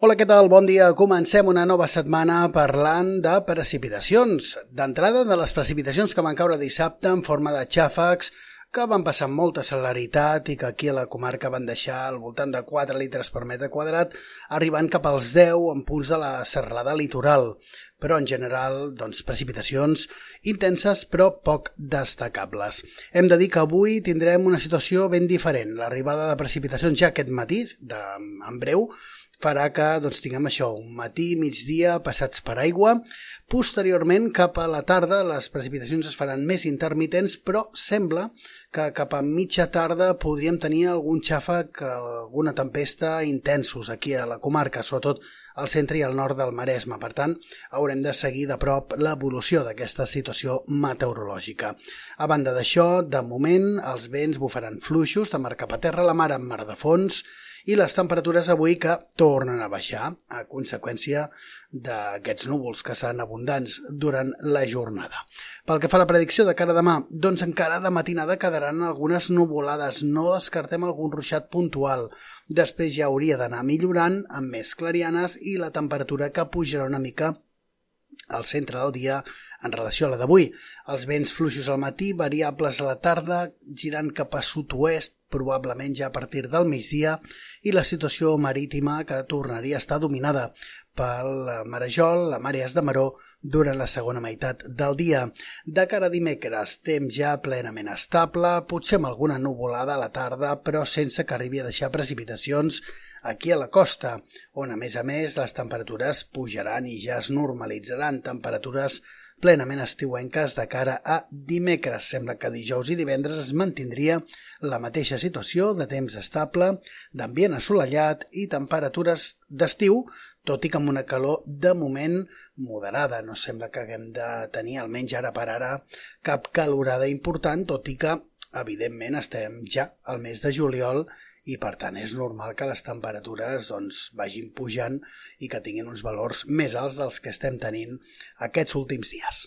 Hola, què tal? Bon dia. Comencem una nova setmana parlant de precipitacions. D'entrada, de les precipitacions que van caure dissabte en forma de xàfecs, que van passar amb molta celeritat i que aquí a la comarca van deixar al voltant de 4 litres per metre quadrat, arribant cap als 10 en punts de la serralada litoral. Però en general, precipitacions intenses però poc destacables. Hem de dir que avui tindrem una situació ben diferent. L'arribada de precipitacions ja aquest matí, en breu, farà que tinguem això, un matí, migdia, passats per aigua. Posteriorment, cap a la tarda, les precipitacions es faran més intermitents, però sembla que cap a mitja tarda podríem tenir algun xàfec, alguna tempesta intensos aquí a la comarca, sobretot al centre i al nord del Maresme. Per tant, haurem de seguir de prop l'evolució d'aquesta situació meteorològica. A banda d'això, de moment, els vents bufaran fluixos de mar cap a terra, la mar en mar de fons, i les temperatures avui que tornen a baixar a conseqüència d'aquests núvols que seran abundants durant la jornada. Pel que fa a la predicció de cara a demà, encara de matinada quedaran algunes nuvolades, no descartem algun ruixat puntual. Després ja hauria d'anar millorant amb més clarianes i la temperatura que pujarà una mica al centre del dia en relació a la d'avui. Els vents fluixos al matí, variables a la tarda, girant cap a sud-oest, probablement ja a partir del migdia, i la situació marítima que tornaria a estar dominada pel marejol, la màrees de maró, durant la segona meitat del dia. De cara a dimecres, temps ja plenament estable, potser amb alguna nuvolada a la tarda, però sense que arribi a deixar precipitacions aquí a la costa, on a més les temperatures pujaran i ja es normalitzaran, temperatures plenament estiuenques de cara a dimecres. Sembla que dijous i divendres es mantindria la mateixa situació de temps estable, d'ambient assolellat i temperatures d'estiu, tot i que amb una calor de moment moderada. No sembla que haguem de tenir, almenys ara per ara, cap calorada important, tot i que, evidentment, estem ja al mes de juliol i, per tant, és normal que les temperatures vagin pujant i que tinguin uns valors més alts dels que estem tenint aquests últims dies.